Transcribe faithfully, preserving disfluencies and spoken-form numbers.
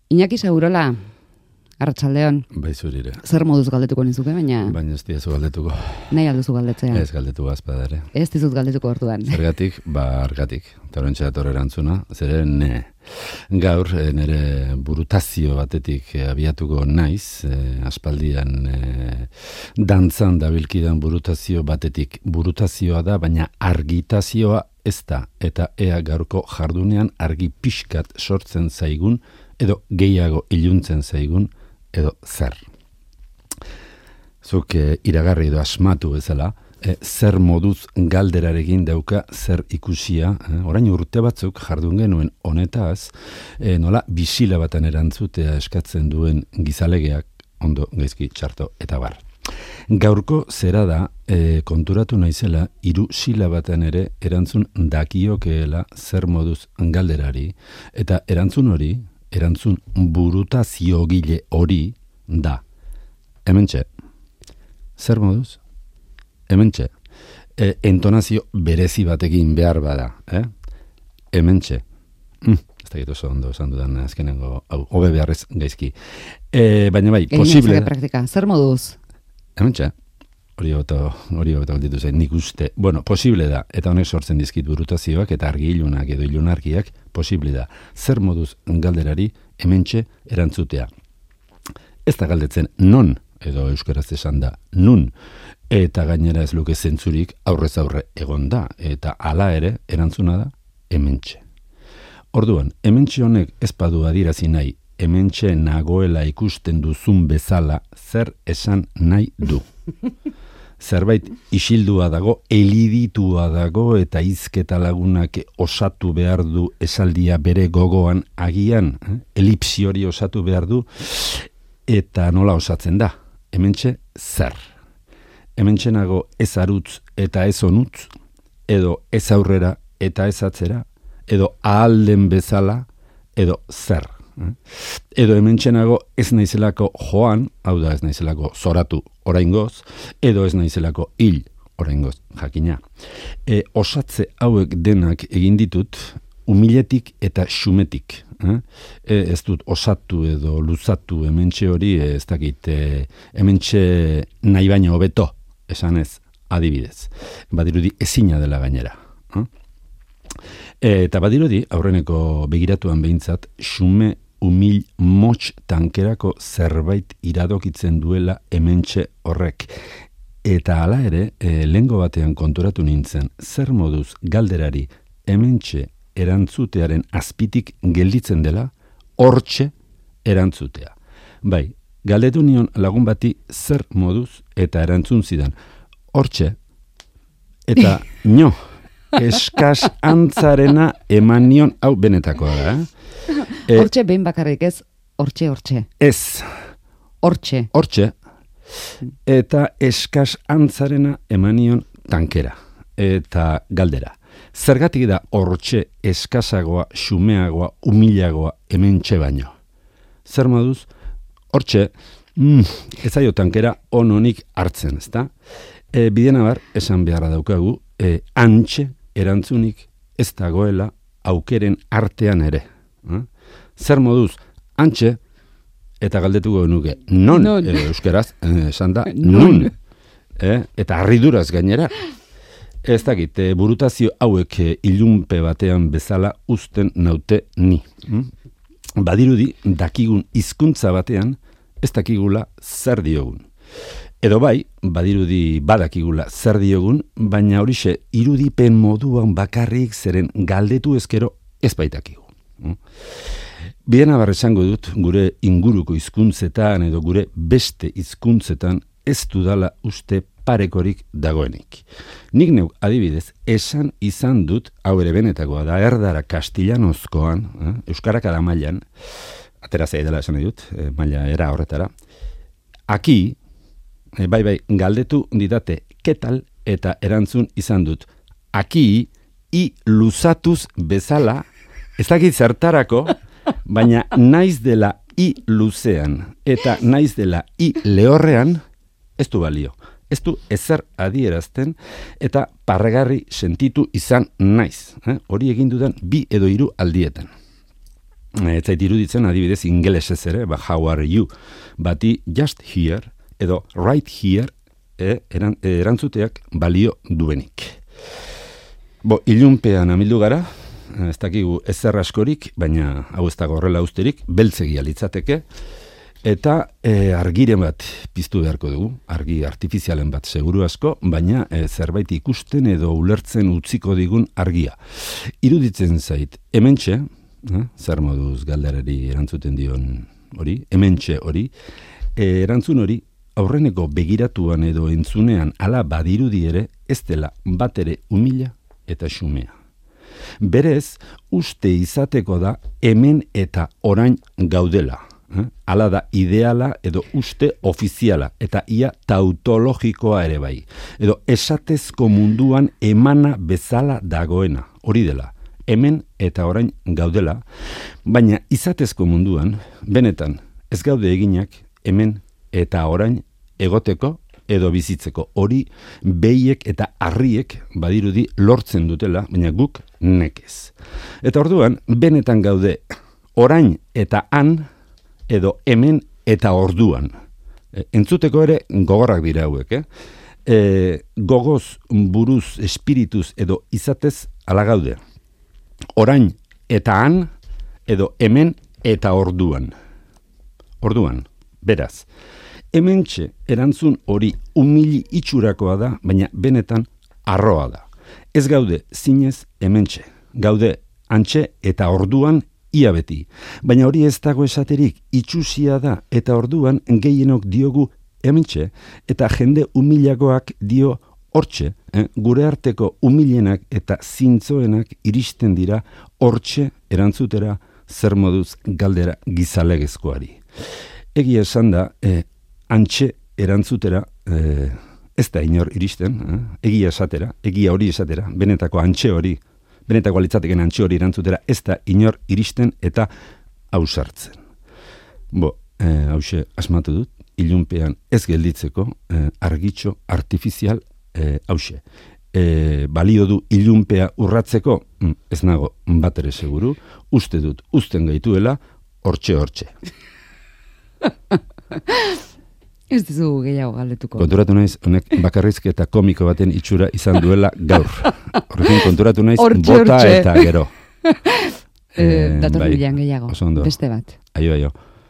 Iñaki Segurola, Arratsaldeon. Bai zurire. Zer moduz galdetuko nizuke, baina... Baina ez diazu galdetuko. Nahi alduzu galdetzea. Ez galdetu azpadare. Ez dizut galdetuko orduan. Zergatik, ba argatik. Torrentxe dator erantzuna, zere ne. Gaur, eh, nire burutazio batetik eh, abiatuko naiz, eh, aspaldian eh, dantzan dabilkidan burutazio batetik. Burutazioa da, baina argitazioa ez da. Eta ea gaurko jardunean argi pixkat sortzen zaigun, edo gehiago iluntzen zaigun, edo zer. Zuk eh, iragarri edo asmatu bezala, eh, zer moduz galderarekin dauka zer ikusia, eh, orain urte batzuk jardun genuen honetaz, eh, nola bisila batan erantzutea eskatzen duen gizalegeak, ondo, gaizki, txarto, eta bar. Gaurko zera da, eh, konturatu naizela, hiru silabatan ere erantzun dakiokeela zer moduz galderari, eta erantzun hori, erantzun burutaziogile hori da. Hementxe. Zer moduz? Hementxe. E, entonazio berezi batekin behar bada. Eh? Hementxe. Mm, ez da gitu oso ondo esan dudan azkenengo, hau, hobe beharrez gaizki. E, baina bai, posible... Praktika. Zer moduz? Hementxe. Hori hobeto, hori hobeto galditu zen, nik uste. Bueno, posible da, eta honek sortzen dizkit burutazioak, eta argi ilunak edo ilunarkiak, posible da. Zer moduz galderari hementxe erantzutea. Ez da galdetzen non, edo euskaraz esan da nun, eta gainera ez luke zentzurik aurrez aurre egon da, eta hala ere erantzuna da hementxe. Orduan, hementxe honek ez badu adierazi nahi, hementxe nagoela ikusten duzun bezala zer esan nahi du. Zerbait isildua dago, eliditua dago eta hizketa lagunak osatu behar du esaldia bere gogoan agian, eh? elipsi hori osatu behar du, eta nola osatzen da, hementxe zer. Hementxe nago ez arutz eta ez onutz, edo ez aurrera eta ez atzera, edo ahalden bezala, edo zer. Edo hementxenago ez naizelako joan, hau da ez naizelako zoratu oraingoz, edo ez naizelako hil oraingoz, jakina. E, osatze hauek denak egin ditut, umiletik eta xumetik. Eh? E, ez dut osatu edo luzatu hementxe hori, ez dakit, e, hementxe nahi baino hobeto, esan ez, adibidez. Badirudi ezina dela gainera. Eh? E, eta badirudi, aurreneko begiratuan behintzat, xume umil motx tankerako zerbait iradokitzen duela hementxe horrek. Eta hala ere, e, lehengo batean konturatu nintzen, zer moduz galderari hementxe erantzutearen azpitik gelditzen dela, hortxe erantzutea. Bai, galdetu nion lagun bati zer moduz eta erantzun zidan, hortxe, eta nio, eskas antzarena eman nion, hau benetakoa da, eh? Hortxe behin bakarrik ez, hortxe, hortxe. Ez. Hortxe. Hortxe. Eta eskas antzarena emanion tankera. Eta galdera. Zergatik da hortxe eskasagoa, xumeagoa, humilagoa hementxe baino. Zer moduz? Hortxe, mm, ez aio tankera ononik hartzen, ezta? E, bidena bar, esan beharra daukagu, e, antxe erantzunik ez dagoela aukeren artean ere. Eh? Zer moduz, antxe, eta galdetuko genuke, non, non. E, euskeraz, esan da, nun, eh? Eta harriduraz gainera, ez dakit, e, burutazio hauek e, ilunpe batean bezala uzten naute ni. Hm? Badirudi, dakigun hizkuntza batean, ez dakigula zer diogun. Edo bai, badirudi badakigula zer diogun, baina horixe irudipen moduan bakarrik zeren galdetu ezkero ez baitakigu. Bien abar esango dut, gure inguruko hizkuntzetan edo gure beste hizkuntzetan ez dudala uste parekorik dagoenik. Nik neuk adibidez, esan izan dut, hau ere benetakoa da, erdara kastilanozkoan, eh, euskarak ada mailan, atera zei dela esan dut, eh, maila era horretara, aki, eh, bai bai, galdetu didate, ketal, eta erantzun izan dut, aki, i luzatuz bezala, ez dakit zertarako, baina naiz dela i luzean eta naiz dela i lehorrean ez du balio. Ez du ezer adierazten eta parregarri sentitu izan naiz. Eh? Hori egin dudan bi edo hiru aldietan. ez zait iruditzen adibidez ingelesez ere, ba, how are you, bati just here edo right here e, eran, erantzuteak balio duenik. Bo, ilunpean amildu gara, ez dakigu ezer askorik, baina hau ez dago horrela usterik, beltzegia litzateke, eta e, argiren bat piztu beharko dugu, argi artifizialen bat seguru asko, baina e, zerbait ikusten edo ulertzen utziko digun argia. Iruditzen zait, hementxe, eh, zer moduz galderari erantzuten dion hori, hementxe hori, e, erantzun hori, aurreneko begiratuan edo entzunean ala badirudi ere, ez dela bat ere humila eta xumea. Berez, uste izateko da hemen eta orain gaudela. Eh? Hala da ideala edo uste ofiziala eta ia tautologikoa ere bai. Edo esatezko munduan emana bezala dagoena. Hori dela, hemen eta orain gaudela, baina izatezko munduan, benetan, ez gaude eginak hemen eta orain egoteko edo bizitzeko. Hori behiek eta harriek badirudi lortzen dutela, baina guk nekez. Eta orduan, benetan gaude orain eta han edo hemen eta orduan. E, entzuteko ere gogorrak dira hauek, eh? E, gogoz, buruz, espirituz edo izatez ala gaude. Orain eta han edo hemen eta orduan. Orduan, beraz, hementxe erantzun hori umili itxurakoa da, baina benetan arroa da. Ez gaude zinez hementxe, gaude antxe eta orduan ia beti. Baina hori ez dago esaterik itxusia da eta orduan gehienok diogu hementxe eta jende umilagoak dio hortxe, eh? Gure arteko umilenak eta zintzoenak iristen dira hortxe erantzutera zer moduz galdera gizalegezkoari. Egia esan da, eh, antxe erantzutera eh, ez da inor iristen, eh? Egia esatera, egia hori esatera, benetako antxe hori, benetako alitzateken antxe hori erantzutera ez da inor iristen eta ausartzen. Bo, eh, hause asmatu dut, ilunpean ez gelditzeko eh, argitxo artifizial eh, hause. Eh, balio du ilunpea urratzeko, mm, ez nago bat ere seguru, uste dut, uzten gaituela, hortxe-hortxe. Ez dizu gehiago galdetuko. Konturatu naiz, honek bakarrizketa komiko baten itxura izan duela gaur. Horrekin konturatu naiz, Ortxe, bota ortxe. eta gero. Eh, dator bai, bilan gehiago. oso ondo. Beste bat. Aio, aio.